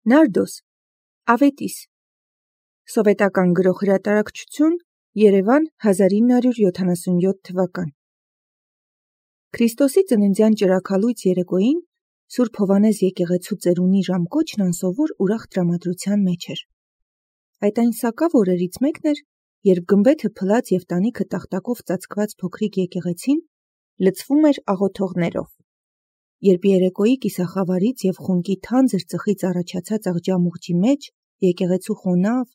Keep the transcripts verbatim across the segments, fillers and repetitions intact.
Նարդոս, Ավետիս, Սովետական գրող հրատարակչություն, Երևան, հազար ինը հարյուր յոթանասունյոթ թվական։ Քրիստոսի ծննդյան ճրագալույց երեկոյին Սուրբ Հովհաննես եկեղեցու ծերունի ժամկոչն անսովոր ուրախ տրամադրության մեջ էր։ Այդ այն սակավ օրերից մեկն էր, երբ գմբեթը փլած և տանիքը տախտակով ծածկված փոքրիկ եկեղեցին լցվում էր աղոթողներով։ Երբ երեկոյի կիսախավարից և խունկի թանձր ծխից առաջացած աղջամուղջի մեջ եկեղեցու խոնավ,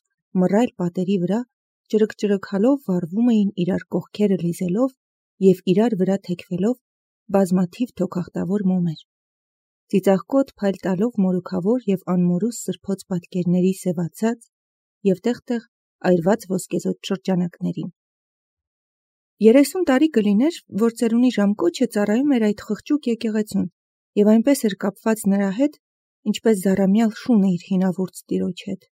մռայլ պատերի վրա ճրգ-ճրգալով վառվում էին իրար կողքերը լիզելով և իրար վրա թեքվելով բազմաթիվ թոքախտավոր մոմեր։ Ծիծաղկոտ փայլ տալով մորուքավոր և անմորուս սրբոց պատկերների սևացած և տեղ-տեղ այրված ոսկեզօծ շրջանակներին։ Երեսուն տարի կլիներ, որ ծերունի ժամկոչը ծառայում էր այդ խղճուկ եկեղեցուն և այնպես էր կապված նրա հետ, ինչպես զառամյալ շունը իր հինավուրց տիրոջ հետ։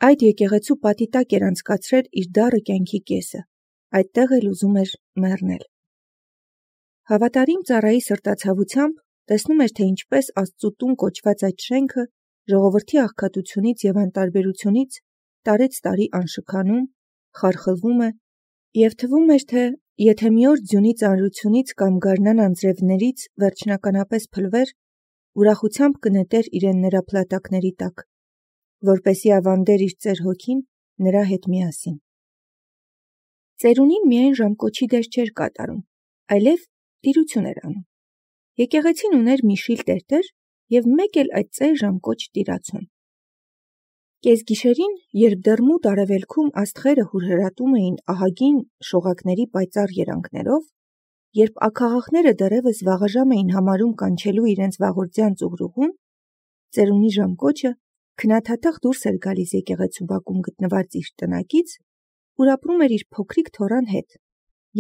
Այդ եկեղեցու պատի տակ էր անցկացրել իր դառը կյանքի կեսը, այդտեղ էլ ուզում էր մեռնել։ Հավատարիմ ծառայի սրտացավությամբ տեսնում էր, թե ինչպես Աստծու տուն կոչված այդ շենքը ժողովրդի աղքատությունից և անտարբերությունից տարեց տարի անշքանում, խարխլվում է, և թվում էր, թե եթե մի օր ձյունի ծանրությունից կամ գարնան անձրևներից վերջնականապես փլվեր, ուրախությամբ կնետեր իրեն նրա փլատակների տակ, որպեսզի ավանդեր իր ծեր հոգին նրա հետ միասին։ Ծերունին միայն ժամկոչի դեր չէր կատարում, այլև տիրություն էր անում։ Եկեղեցին ուներ մի շիլ տերտեր և մեկ էլ այդ ծեր ժամկոչ տիրացուն։ Կեսգիշերին, երբ դեռ մութ արևելքում աստղերը հուրհրատում էին ահագին շողակների պայծառ երանգներով, երբ աքաղաքները դեռևս վաղաժամ էին համարում կանչելու իրենց վաղորդյան ծուղրուղուն, ծերունի ժամկոչը քնաթաթախ դուրս էր գալիս եկեղեցու բակում գտնված իր տնակից, ուր ապրում էր իր փոքրիկ թոռան հետ,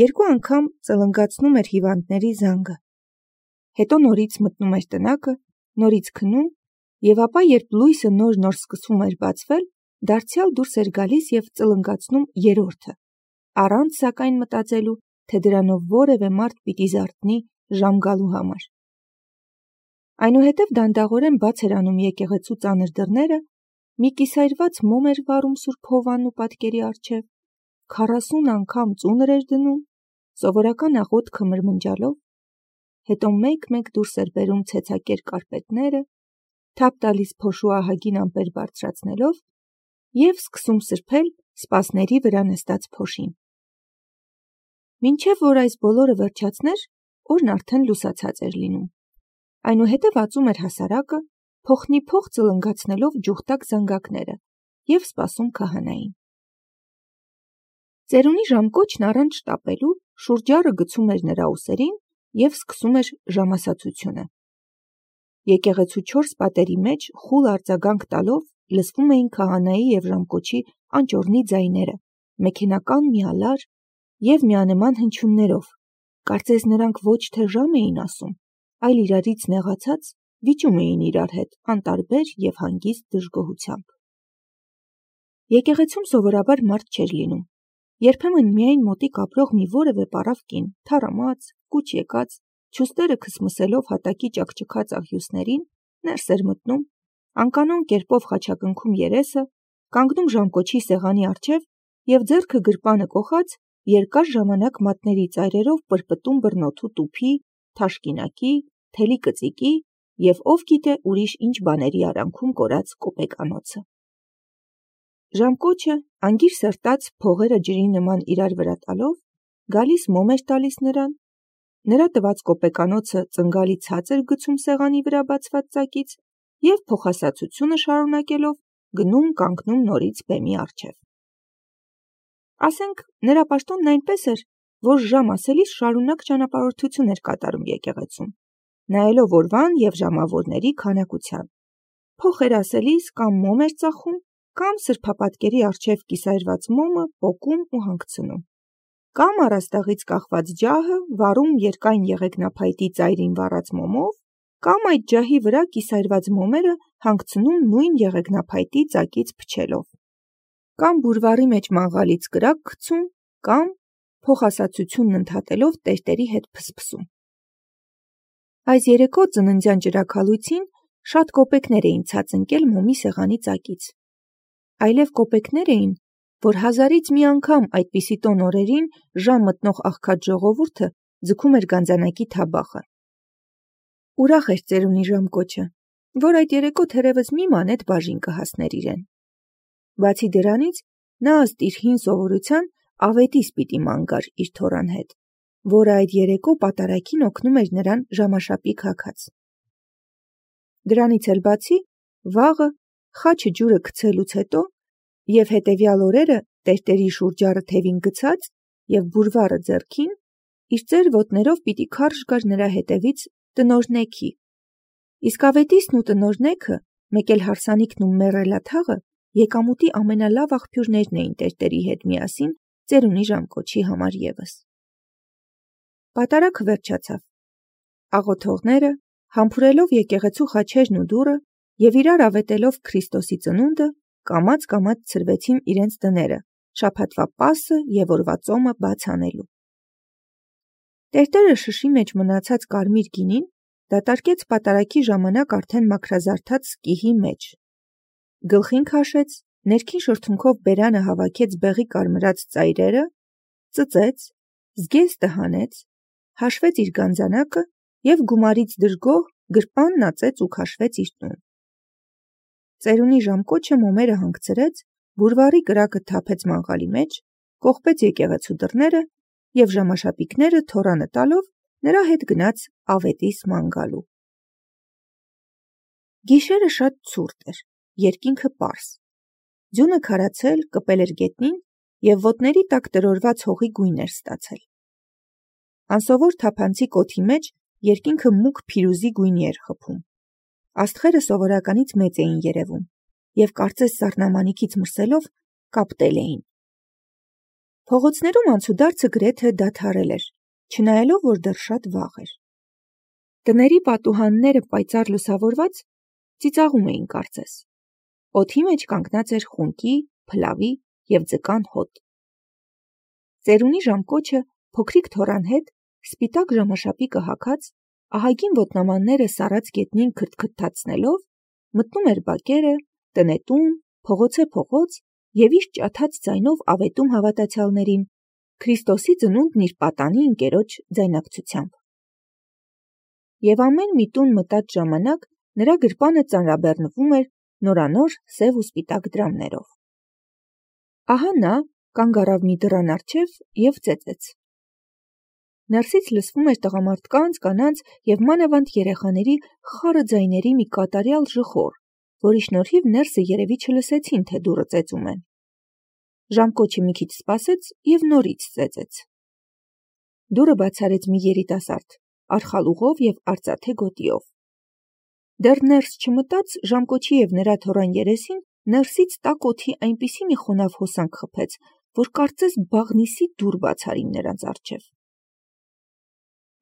երկու անգամ ծլնգացնում էր հիվանդների զանգը, հետո նորից մտնում էր տնակը, նորից քնում, և ապա, երբ լույսը նոր-նոր սկսում էր բացվել, դարձյալ դուրս էր գալիս և ծլնգացնում երրորդը, առանց սակայն մտածելու, թե դրանով որևէ մարդ պիտի զարթնի ժամ գալու համար։ Այնուհետև դանդաղորեն բաց էր անում եկեղեցու ծանր դռները, մի կիսայրված մոմ էր վառում Սուրբ Հովվաննու պատկերի առջև, քառասուն անգամ ծունր էր դնում, սովորական աղոթքը մրմնջալով, հետո մեկ-մեկ դուրս էր բերում ցեցակեր կարպետները, թափ տալիս փոշու ահագին ամպեր բարձրացնելով և սկսում սրբել սպասների վրա նստած փոշին։ Մինչև որ այս բոլորը վերջացներ, օրն արդեն լուսացած էր լինում։ Այնուհետև ածում էր հասարակը, փոխնիփոխ ծլնգացնելով ջուխտակ զանգակները և սպասում քահանային։ Ծերունի ժամկոչն առանց շտապելու շուրջառը գցում էր նրա ուսերին և սկսում էր ժամասացությունը։ Եկեղեցու չորս պատերի մեջ խուլ արձագանք տալով լսվում էին քահանայի և ժամկոչի անճոռնի ձայները, մեքենական միալար և միանման հնչյուններով, կարծես նրանք ոչ թե ժամ էին ասում, այլ իրարից նեղացած վիճում էին իրար հետ անտարբեր և հանգիստ դժգոհությամբ։ Եկեղեցում սովորաբար մարդ չէր լինում, երբեմն միայն մոտիկ ապրող մի որևէ պառավ կին, թառամած, կուչ եկած, չուստերը քսմսելով հատակի ճաքճքած աղյուսներին, ներս էր մտնում, անկանոն կերպով խաչակնքում երեսը, կանգնում ժամկոչի սեղանի առջև և ձեռքը գրպանը կոխած, երկար ժամանակ մատների ծայրերով պրպտում բռնոթու տուփի, թաշկինակի, թելի կծիկի և ով գիտե ուրիշ ինչ բաների արանքում կորած կոպեկանոցը։ Ժամկոչը, անգիր սրտած փողերը ջրի նման իրար վրա տալով, գալիս մոմ էր տալիս նրան, նրա տված կոպեկանոցը ծնգալի ցած էր գցում սեղանի վրա բացված ծակից և փոխասացությունը շարունակելով գնում կանգնում նորից բեմի առջև։ Ասենք, նրա պաշտոնն այնպես էր, որ ժամ ասելիս շարունակ ճանապարհորդություն էր կատարում եկեղեցում, նայելով օրվան և ժամավորների քանակության, փող էր ասելիս կամ մոմ էր ծախում, կամ սրբապատկերի առջև կիսայրված մոմը պոկում ու հանգցնում, կամ առաստաղից կախված ջահը վառում երկայն եղեգնափայտի ծայրին վառած մոմով, կամ այդ ջահի վրա կիսայրված մոմերը հանգցնում նույն եղեգնափայտի ծակից փչելով, կամ բուրվառի մեջ մաղաղալից կրակ գցում, կամ փոխասացությունն ընդհատելով տերտերի հետ փսփսում։ Այս երեկո ծննդյան ճրագալույցին Շատ կոպեկներ էին ցած ընկել մոմի սեղանի ծակից։ Այլև կոպեկներ էին, որ հազարից մի անգամ այդպիսի տոն օրերին ժամ մտնող աղքատ ժողովուրդը ձգում էր գանձանակի թաբախը։ Ուրախ էր ծերունի ժամկոչը, որ այդ երեկո թերևս մի մանեթ բաժին կհասներ իրեն։ Բացի դրանից, նա ըստ իր հին սովորության ավետիս պիտի ման գար իր թոռան հետ, որը այդ երեկո պատարագին օգնում էր նրան ժամաշապիկ հագած։ Դրանից էլ բացի, վաղը, խաչը ջուրը գցելուց հետո և հետևյալ օրերը տերտերի շուրջառը թևին գցած և բուրվարը ձեռքին, իր ծեր ոտներով պիտի քարշ գար նրա հետևից տնօրնեքի։ Իսկ ավետիսն ու տնօրնեքը, մեկ էլ հարսանիքն ու մեռելաթաղը եկամուտի ամենալավ աղբյուրներն էին տերտերի հետ միասին ծերունի ժամկոչի համար ևս։ Պատարագը վերջացավ։ Աղոթողները, համբուրելով եկեղեցու խաչերն ու դուռը և իրար ավետելով Քրիստոսի ծնունդը, կամաց-կամաց ցրվեցին իրենց տները, շաբաթվա պասը և օրվա ծոմը բաց անելու։ Տերտերը շշի մեջ մնացած կարմիր գինին դատարկեց պատարագի ժամանակ արդեն մաքրազարդած սկիհի մեջ։ Գլխին քաշեց, ներքին շրթունքով բերանը հավաքեց բեղի կարմրած ծայրերը, ծծեց, զգեստը հանեց, հաշվեց իր գանձանակը և գումարից դժգոհ գրպանն ածեց ու քաշվեց իր տուն։ Ծերունի ժամկոչը մոմերը հանգցրեց, բուրվարի կրակը թափեց մանգալի մեջ, կողպեց եկեղեցու դռները և ժամաշապիկները թոռանը տալով նրա հետ գնաց ավետիս ման գալու։ Գիշերը շատ ցուրտ էր, երկինքը պարզ։ Ձյունը քարացել, կպել էր գետնին և ոտների տակ տրորված հողի գույն էր ստացել։ Անսովոր թափանցիկ օդի մեջ երկինքը մուգ փիրուզի գույնի էր խփում։ Աստղերը սովորականից մեծ էին երևում և կարծես սառնամանիքից մրսելով կապտել էին։ Փողոցներում անցուդարձը գրեթե դադարել էր, չնայելով, որ դեռ շատ վաղ էր։ Տների պատուհանները պայծառ լուսավորված ծիծաղում էին կարծես։ Օդի մեջ կանգնած էր խունկի, փլավի և ձկան հոտ։ Ծերունի ժամկոչը փոքրիկ թոռան հետ, սպիտակ ժամաշապիկը հագած, ահագին ոտնամանները սառած գետնին քրթքթացնելով, մտնում էր բակերը, տնետուն, փողոցե փողոց և իր ջաթած ձայնով ավետում հավատացյալներին Քրիստոսի ծնունդն իր պատանի ընկերոջ ձայնակցությամբ։ Եվ ամեն մի տուն մտած ժամանակ նրա գրպանը ծանրաբեռնվում էր նորանոր սև ու սպիտակ դրամներով։ Ահա նա կանգ առավ մի դռան առջև և ծեծեց։ Ներսից լսվում էր տղամարդկանց, կանանց և մանավանդ երեխաների խառը ձայների մի կատարյալ ժխոր, որի շնորհիվ ներսը երևի չլսեցին, թե դուռը ծեծում են։ Ժամկոչը մի քիչ սպասեց և նորից ծեծեց։ Դուռը բաց արեց մի երիտասարդ, արխալուղով և արծաթե գոտիով։ Դեռ ներս չմտած ժամկոչի և նրա թոռան երեսին ներսից տաք օդի այնպիսի մի խոնավ հոսանք խփեց, որ կարծես բաղնիսի դուռ բաց արին նրանց առջև։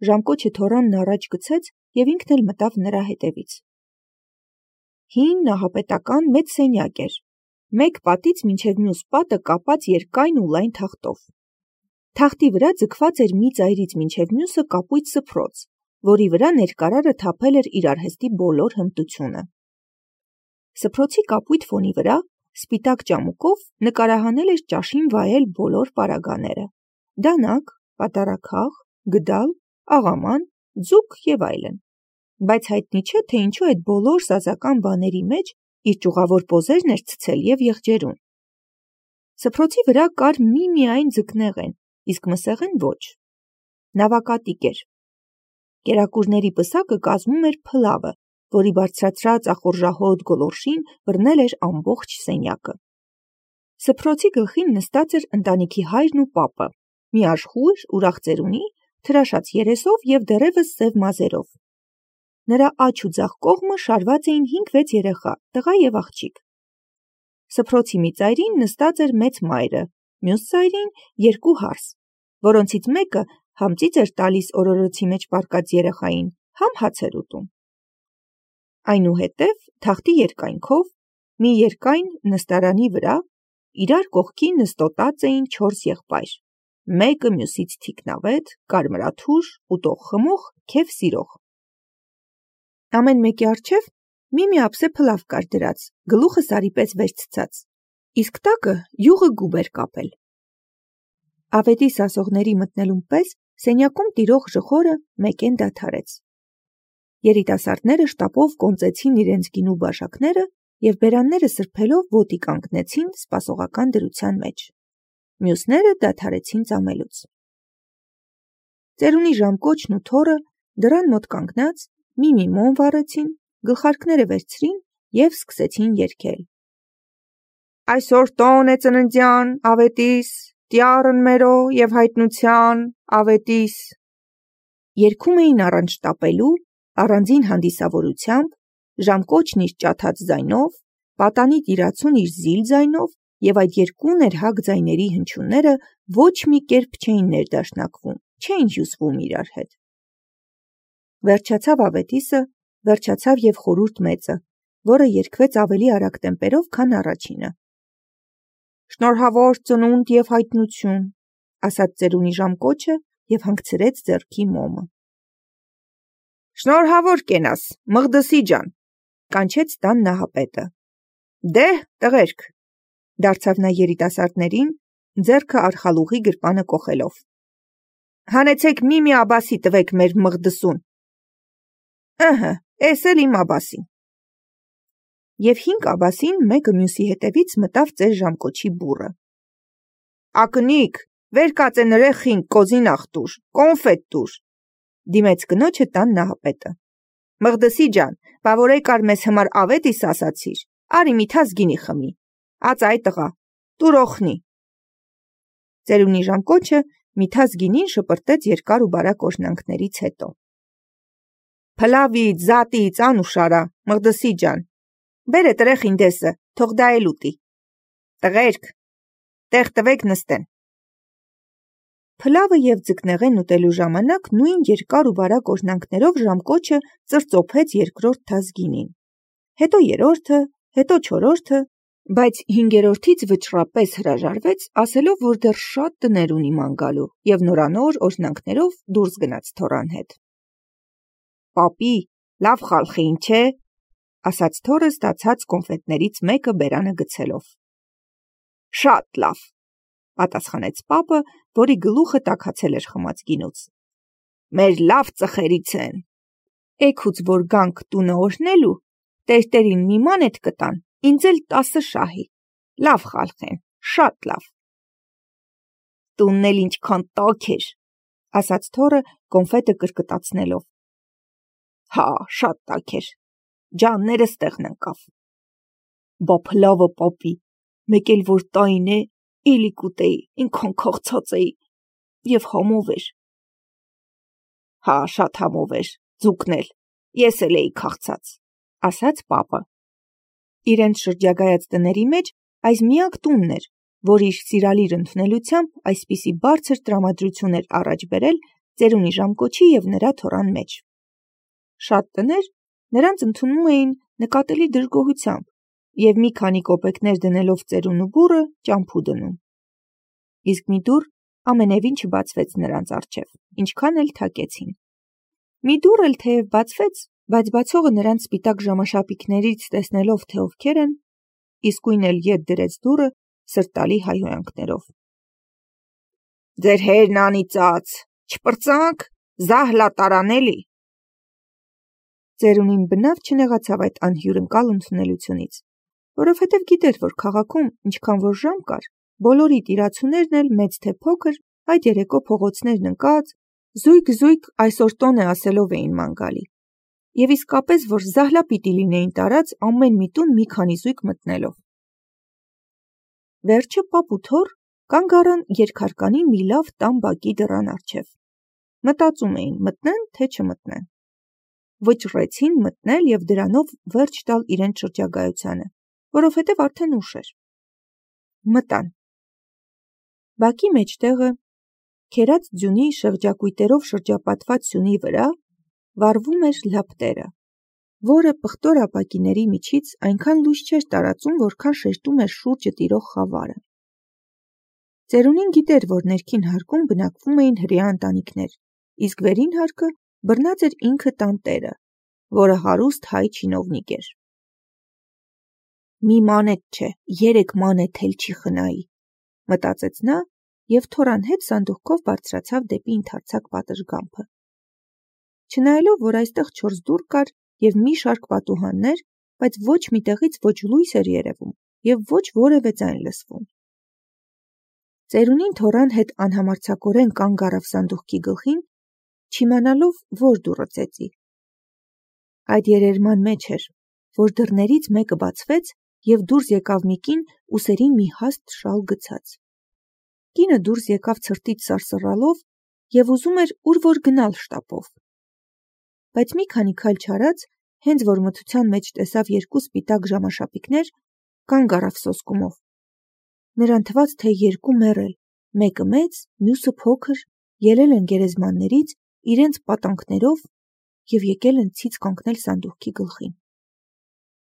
Ժամկոչը թոռանն առաջ գցեց և ինքն էլ մտավ նրա հետևից։ Հին նահապետական մեծ սենյակ էր, մեկ պատից մինչև մյուս պատը կապած երկայն ու լայն թախտով։ Թախտի վրա ձգված էր մի ծայրից մինչև մյուսը կապույտ սփռոց, որի վրա ներկարարը թափել էր իր արհեստի բոլոր հմտությունը։ Սփռոցի կապույտ ֆոնի վրա սպիտակ ճամուկով նկարահանել էր ճաշին վայել բոլոր պարագաները՝ դանակ, պատարագհաղ, գդալ, աղաման, ձուկ և այլն, բայց հայտնի չէ, թե ինչու այդ բոլոր սազական բաների մեջ իր ճյուղավոր պոզերն էր ցցել և եղջերուն։ Սփռոցի վրա կար մի-միայն ձկնեղեն, իսկ մսեղեն ոչ։ Նավակատիկ էր։ Կերակուրների պսակը կազմում էր փլավը, որի բարձրացրած ախորժահոտ գոլորշին բռնել էր ամբողջ սենյակը։ Սփռոցի գլխին նստած էր ընտանիքի հայրն ու պապը, մի աշխույժ, ուրախ ծերունի, թրաշած երեսով և դեռևս սև մազերով։ Նրա աջ ու ձախ կողմը շարված էին հինգ-վեց երեխա, տղա և աղջիկ։ Սփռոցի մի ծայրին նստած էր մեծ մայրը, մյուս ծայրին երկու հարս, որոնցից մեկը համ ծիծ էր տալիս օրորոցի մեջ պառկած երեխային, համ հաց էր ուտում։ Այնուհետև թախտի երկայնքով, մի երկայն նստարանի վրա, իրար կողքի նստոտած էին չորս եղբայր, մեկը մյուսից թիկնավետ, կարմրաթուր, ուտող խմող, քեֆ սիրող։ Ամեն մեկի առջև մի-մի ափսե փլավ կար դրած, գլուխը սարի պես վեր ցցած, իսկ տակը յուղը գուբ էր կապել։ Ավետիս ասողների մտնելուն պես սենյակում տիրող ժխորը մեկեն դադարեց։ Երիտասարդները շտապով կոնծեցին իրենց գինու բաժակները և բերանները սրբելով ոտի կանգնեցին սպասողական դրության մեջ։ Մյուսները դադարեցին ծամելուց։ Ծերունի ժամկոչն ու թոռը դռան մոտ կանգնած մի-մի մոմ վառեցին, գլխարկները վերցրին և սկսեցին երգել. Այսօր տոն է ծննդյան ավետիս, տյառն մերո և հայտնության ավետիս։ Երգում էին առանց շտապելու, առանձին հանդիսավորությամբ, ժամկոչն իր ճաթած ձայնով, պատանի տիրացուն իր զիլ ձայնով և այդ երկու ներհակ ձայների հնչյունները ոչ մի կերպ չէին ներդաշնակվում, չէին հյուսվում իրար հետ։ Վերջացավ ավետիսը, վերջացավ և խորհուրդ մեծը, որը երգվեց ավելի արագ տեմպերով, քան առաջինը։ Շնորհավոր ծնունդ և հայտնություն, ասաց ծերունի ժամկոչը և հանգցրեց ձեռքի մոմը։ Շնորհավոր կենաս, Մղդսի ջան, կանչեց տան նահապետը։ Դե՛հ, տղերք, դարձավ նա երիտասարդներին, ձեռքը արխալուղի գրպանը կոխելով։ Հանեցեք մի-մի աբասի տվեք մեր Մղդսուն։ Ըհը, էս էլ իմ աբասին։ Եվ հինգ աբասին մեկը մյուսի հետևից մտավ ծեր ժամկոչի բուռը։ Ակնիկ, վեր կացե նրեխին կոզին աղտուր, կոնֆետ տուր, դիմեց կնոջը տան նահապետը։ Մղդսի ջան, բա որ եկար մեզ համար ավետիս ասացիր, արի մի թաս գինի խմի, ած այ տղա, տուր օխնի։ Ծերունի ժամկոչը մի թաս գինին շպրտեց երկար ու բարակ օրհնանքներից հետո։ Փլավից, զատից, անուշարա, Մղդսի ջան, բերե տրեխին դեսը, թող դա էլ ուտի։ Տղերք, տեղ տվեք նստեն։ Փլավը և ձկնեղեն ուտելու ժամանակ նույն երկար ու բարակ օրհնանքներով ժամկոչը ծրծոփեց երկրորդ թաս գինին, հետո երրորդը, հետո չորրորդը, բայց հինգերորդից վճռապես հրաժարվեց, ասելով, որ դեռ շատ տներ ունի ման գալու և նորանոր օրհնանքներով դուրս գնաց թոռան հետ։ Պապի, լավ խալխի ինչ է, ասաց թոռը ստացած կոնֆետներից մեկը բերանը գցելով։ Շատ լավ, պատասխանեց պապը, որի գլուխը տաքացել էր խմած գինուց։ Մեր լավ ծխերից են։ Էգուց որ գանք տունը օրհնելու, տերտերին մի մանեթ կտան, ինձ էլ տասը շահի, լավ խալխեն, շատ լավ։ Տունն էլ ինչքան տաք էր, ասաց թոռը կոնֆետը կրկտացնելով։ Հա, շատ տաք էր, ջաններս տեղն ընկավ։ Բա փլավը պապի, մեկ էլ որ տային է, էլի կուտեի, ինքան քաղցած էի, և համով էր։ Հա, շատ համով էր, ձուկն էլ, ես էլ էի քաղցած, ասաց պապը։ Իրենց շրջագայած տների մեջ այս միակ տունն էր, որ իր սիրալիր ընդունելությամբ այսպիսի բարձր տրամադրություն էր առաջ բերել ծերունի ժամկոչի և նրա թոռան մեջ։ Շատ տներ նրանց ընդունում էին նկատելի դժգոհությամբ և մի քանի կոպեկներ դնելով ծերուն ու բուռը ճամփու դնում։ Իսկ մի դուռ ամենևին չբացվեց նրանց առջև, ինչքան էլ թակեցին։ Մի դուռ էլ թեև բացվեց, բայց բացողը նրանց սպիտակ ժամաշապիկներից տեսնելով, թե ովքեր են, իսկույն էլ ետ դրեց դուռը սրտալի հայհոյանքներով։ Ձեր հերն անիծած, չպրծանք, զահլա տարանելի։ Ծերունին բնավ չնեղացավ այդ անհյուրընկալ ընդունելությունից, որովհետև գիտեր, որ քաղաքում, ինչքան որ ժամ կար, բոլորի տիրացուներն էլ մեծ թե փոքր այդ երեկո փողոցներն ընկած, զույգ-զույգ այսօր տոն է ասելով էին ման գալի, և իսկապես, որ զահլա պիտի լինեին տարած ամեն մի տուն մի քանի զույգ մտնելով։ Վերջը պապ ու թոռ կանգ առան երկհարկանի մի լավ տան բակի դռան առջև։ Մտածում էին մտնեն, թե չմտնեն։ Վճռեցին մտնել և դրանով վերջ տալ իրենց շրջագայությանը, որովհետև արդեն ուշ էր։ Մտան։ Բակի մեջտեղը, քերած ձյունի շղճակույտերով շրջապատված սյունի վրա, վառվում էր լապտերը, որը պղտոր ապակիների միջից այնքան լույս չէր տարածում, որքան շեշտում էր շուրջը տիրող խավարը։ Ծերունին գիտեր, որ ներքին հարկում բնակվում էին հրեա ընտանիքներ, իսկ վերին հարկը բռնած էր ինքը տան տերը, որը հարուստ հայ չինովնիկ էր։ մի մանեթ չէ, երեք մանեթ էլ չի խնայի, մտածեց նա և թորան հետ սանդուղքով բարձրացավ դեպի ընդարձակ պատշգամբը։ Չնայելով, որ այստեղ չորս դուռ կար և մի շարք պատուհաններ, բայց ոչ միտեղից ոչ լույս էր երևում և ոչ որևէ ձայն լսվում։ Ծերունին թոռան հետ անհամարձակորեն կանգ առավ սանդուղքի գլխին, չիմանալով, որ դուռը ծեծի։ Այդ երերման մեջ էր, որ դռներից մեկը բացվեց և դուրս եկավ մի կին ուսերին մի հաստ շալ գցած։ Կինը դուրս եկավ ցրտից սարսռալով և ուզում էր ուր որ գնալ շտապով։ Բայց մի քանի քայլ չարած, հենց որ մթության մեջ տեսավ երկու սպիտակ ժամաշապիկներ, կանգ առավ սոսկումով։ Նրան թվաց, թե երկու մեռել, մեկը մեծ, մյուսը փոքր, ելել են գերեզմաններից իրենց պատանքներով և եկել են ցից կանգնել սանդուղքի գլխին։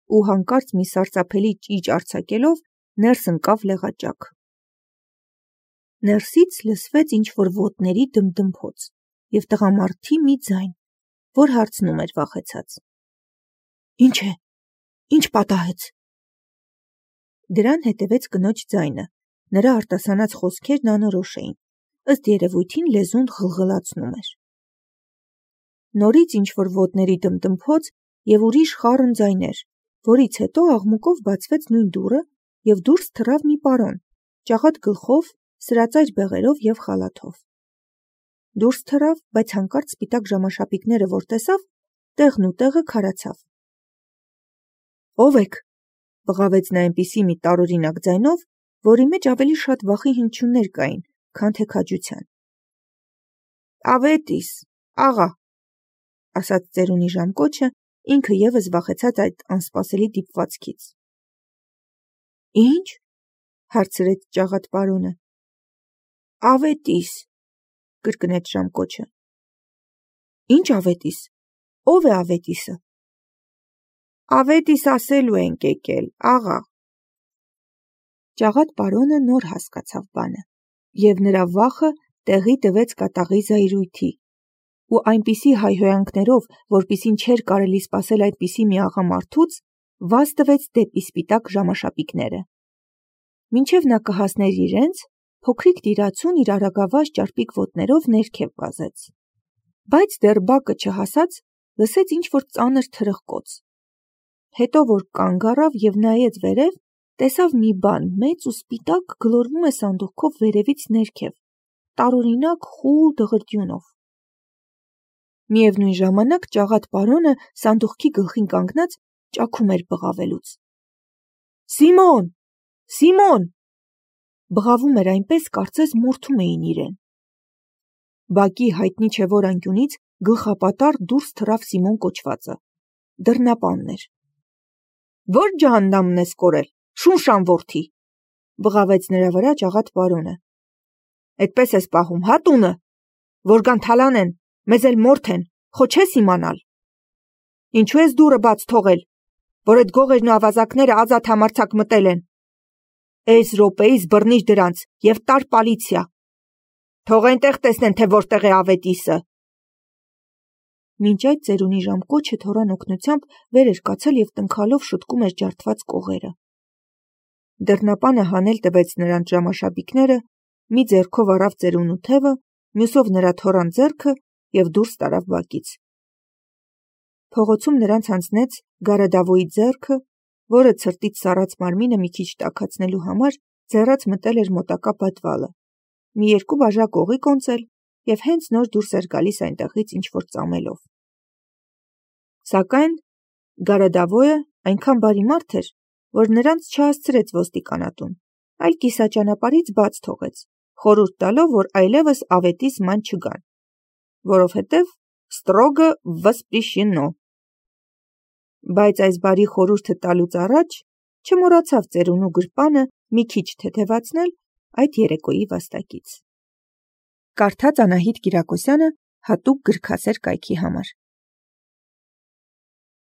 Ու հանկարծ մի սարսափելի ճիչ արձակելով ներս ընկավ լեղաճակ։ Ներսից լսվեց ինչ-որ ոտների դմդմփոց և տղամարդի մի ձայն, որ հարցնում էր վախեցած. «Ինչ է, ինչ պատահեց»։ Դրան հետևեց կնոջ ձայնը, նրա արտասանած խոսքերն անորոշ էին, ըստ երևույթին լեզուն ղլղլացնում էր։ Նորից ինչ-որ ոտների դմդմփոց և ուրիշ խառն ձայներ, որից հետո աղմուկով բացվեց նույն դուռը և դուրս թռավ մի պարոն, ճաղատ գլխով, սրածայր բեղերով և խալաթով։ Դուրս թռավ, բայց հանկարծ սպիտակ ժամաշապիկները որ տեսավ, տեղն ու տեղը քարացավ։ «Ո՞վ եք», բղավեց նա այնպիսի մի տարօրինակ ձայնով, որի մեջ ավելի շատ վախի հնչյուններ կային, քան թե քաջության։ «Ավետիս, աղա», ասաց ծերունի ժամկոչը, ինքը ևս վախեցած այդ անսպասելի դիպվածքից։ «Ի՞նչ», հարցրեց ճաղատ պարոնը։ «Ավետիս», կրկնեց ժամկոչը։ «Ի՞նչ ավետիս, ո՞վ է ավետիսը»։ «Ավետիս ասելու ենք եկել, աղա»։ Ճաղատ պարոնը նոր հասկացավ բանը, և նրա վախը տեղի տվեց կատաղի զայրույթի, ու այնպիսի հայհոյանքներով, որպիսին չէր կարելի սպասել այդպիսի մի աղա մարդուց, վազ տվեց դեպի սպիտակ ժամաշապիկները։ Մինչև նա կհասներ իրենց, փոքրիկ տիրացուն իր արագավազ ճարպիկ ոտներով ներքև վազեց։ Բայց դեռ բակը չհասած, լսեց ինչ-որ ծանր թրխկոց։ Հետո որ կանգ առավ և նայեց վերև, տեսավ մի բան մեծ ու սպիտակ գլորվում է սանդուղքով վերևից ներքև, տարօրինակ խուլ դղրդյունով։ Միևնույն ժամանակ ճաղատ պարոնը սանդուղքի գլխին կանգնած ճաքում էր բղավելուց։ «Սիմոն, Սիմոն», բղավում էր այնպես, կարծես մորթում էին իրեն։ Բակի հայտնի չէ որ անկյունից գլխապատառ դուրս թռավ Սիմոն կոչվածը, դռնապանն էր։ «Ո՞ր ջահաննամն ես կորել, շունշան որդի», բղավեց նրա վրա ճաղատ պարոնը։ «Էդպես ես պահում, հա տունը, որ գան թալանեն, մեզ էլ մորթեն, խո չես իմանալ։ Ինչու ես դուռը բաց թողել, որ էդ գողերն ու ավազակները ազատ համարձակ մտել են։ Էս րոպեիս բռնիր դրանց և տար պալիցիա։ Թող այնտեղ տեսնեն, թե որտեղ է ավետիսը»։ Մինչ այդ ծերունի ժամկոչը թոռան օգնությամբ վեր էր կացել և տնքալով շտկում էր ջարդված կողերը։ Դռնապանը հանել տվեց նրան ժամաշապիկները, մի ձեռքով առավ ծերունու թևը, մյուսով նրա թոռան ձեռքը և դուրս տարավ բակից։ Փողոցում նրանց հանձնեց Գարադավոյի ձեռքը, որը ցրտից սառած մարմինը մի քիչ տաքացնելու համար ձեռաց մտել էր մոտակա պատվալը, մի երկու բաժակ օղի կոնծել և հենց նոր դուրս էր գալիս այնտեղից ինչ-որ ծամելով։ Սակայն Գարադավոյը այնքան բարի մարդ էր, որ նրանց չհասցրեց ոստիկանատուն, այլ կիսաճանապարհից բաց թողեց, խորհուրդ տալով, որ այլևս ավետիս ման չգան, որովհետև ստրոգը վսպրիշենո։ Բայց այս բարի խորհուրդը տալուց առաջ չմոռացավ ծերունու գրպանը մի քիչ թեթևացնել այդ երեկոյի վաստակից։ Կարդաց Անահիտ Կիրակոսյանը հատուկ գրքասեր կայքի համար։